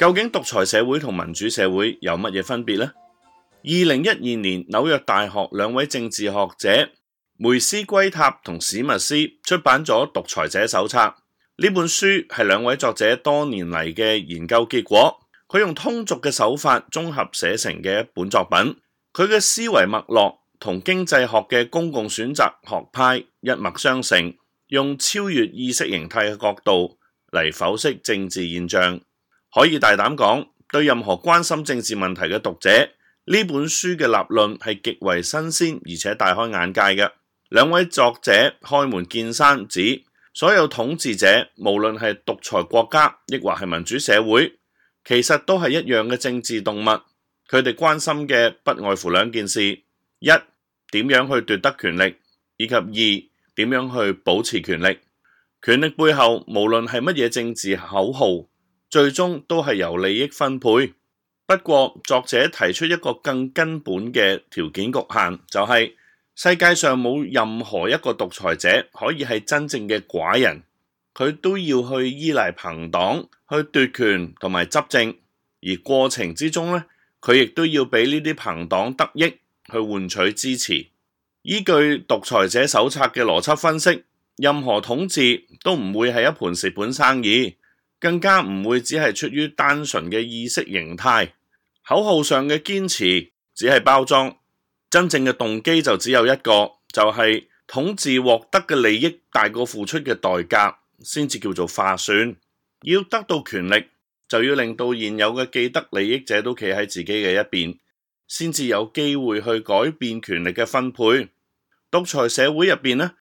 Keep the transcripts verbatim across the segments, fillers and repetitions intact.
究竟獨裁社會同民主社會有乜嘢分別呢？二零一二年紐約大學兩位政治學者梅斯圭塔同史密斯出版咗《獨裁者手冊》。呢本書係兩位作者多年嚟嘅研究結果，佢用通俗嘅手法綜合寫成嘅一本作品。佢嘅思維脈絡同經濟學嘅公共選擇學派一脈相承，用超越意識形態嘅角度嚟剖析政治現象。可以大膽講，對任何關心政治問題嘅讀者，呢本書嘅立論係極為新鮮而且大開眼界嘅。兩位作者開門見山指，所有統治者無論係獨裁國家亦或係民主社會，其實都係一樣嘅政治動物。佢哋關心嘅不外乎兩件事：一、點樣去奪得權力，以及二、點樣去保持權力。權力背後無論係乜嘢政治口號，最終都係由利益分配。不過作者提出一個更根本嘅條件局限，就係世界上冇任何一個獨裁者可以係真正嘅寡人，佢都要去依賴朋黨去奪權同埋執政，而過程之中呢，佢亦都要俾呢啲朋黨得益去換取支持。依據獨裁者手冊嘅邏輯分析，任何統治都唔會係一盤蝕本生意，更加唔會只係出於單純嘅意識形態，口號上嘅堅持只係包裝，真正嘅動機就只有一個，就係統治獲得嘅利益大過付出嘅代價，先至叫做划算。要得到權力，就要令到現有嘅既得利益者都企喺自己嘅一邊，先至有機會去改變權力嘅分配。獨裁社會入邊呢，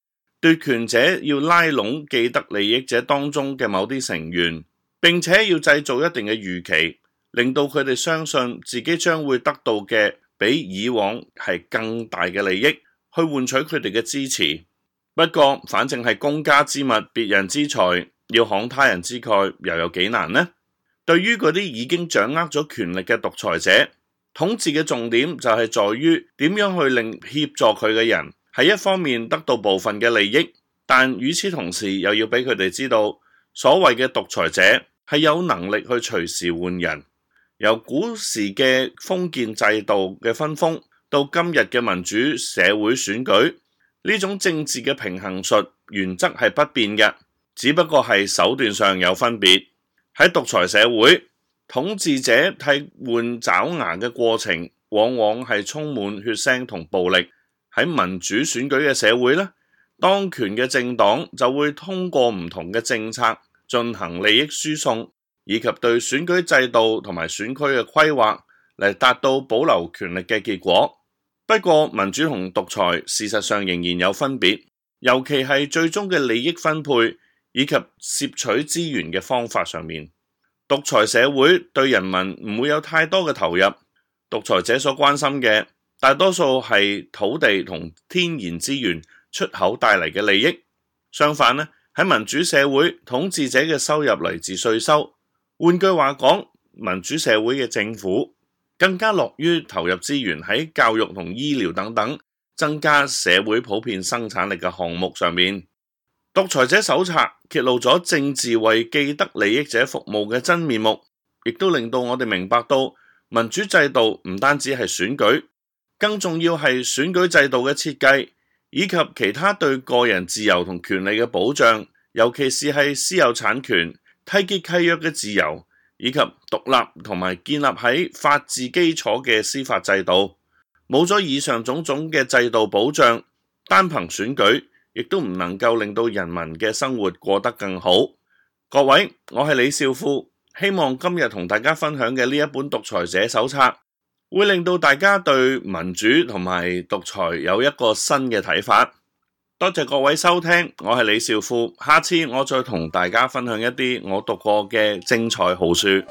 奪權者要拉攏既得利益者當中嘅某啲成員，並且要製造一定嘅預期，令到佢哋相信自己將會得到嘅比以往係更大嘅利益，去換取佢哋嘅支持。不過反正係公家之物，別人之財，要慷他人之慨，又有幾難呢？對於嗰啲已經掌握咗權力嘅獨裁者，統治嘅重點就係在於點樣去令協助佢嘅人喺一方面得到部分嘅利益，但與此同時又要俾佢哋知道，所謂嘅獨裁者係有能力去隨時換人。由古時嘅封建制度嘅分封到今日嘅民主社會選舉，呢種政治嘅平衡術原則係不變嘅，只不過係手段上有分別。喺獨裁社會，統治者替換爪牙嘅過程往往係充滿血腥同暴力。喺民主選舉嘅社會呢，當權嘅政黨就會通過唔同嘅政策進行利益輸送，以及對選舉制度同埋選區嘅規劃嚟達到保留權力嘅結果。不過民主同獨裁事實上仍然有分別，尤其係最終嘅利益分配以及攝取資源嘅方法上面。獨裁社會對人民唔會有太多嘅投入，獨裁者所關心嘅大多數係土地同天然資源出口帶嚟嘅利益。相反呢，喺民主社會，統治者嘅收入嚟自稅收。換句話講，民主社會嘅政府更加樂於投入資源喺教育同醫療等等增加社會普遍生產力嘅項目上面。獨裁者手冊揭露咗政治為既得利益者服務嘅真面目，亦都令到我哋明白到民主制度唔單止係選舉，更重要係選舉制度嘅設計，以及其他對個人自由同權利嘅保障，尤其是係私有產權、締結契約嘅自由，以及獨立同埋建立喺法治基礎嘅司法制度。冇咗以上種種嘅制度保障，單憑選舉亦都唔能夠令到人民嘅生活過得更好。各位，我係李少富，希望今日同大家分享嘅呢一本獨裁者手冊，會令到大家對民主同埋獨裁有一個新嘅睇法。多謝各位收聽，我係李少富，下次我再同大家分享一啲我讀過嘅精彩好書。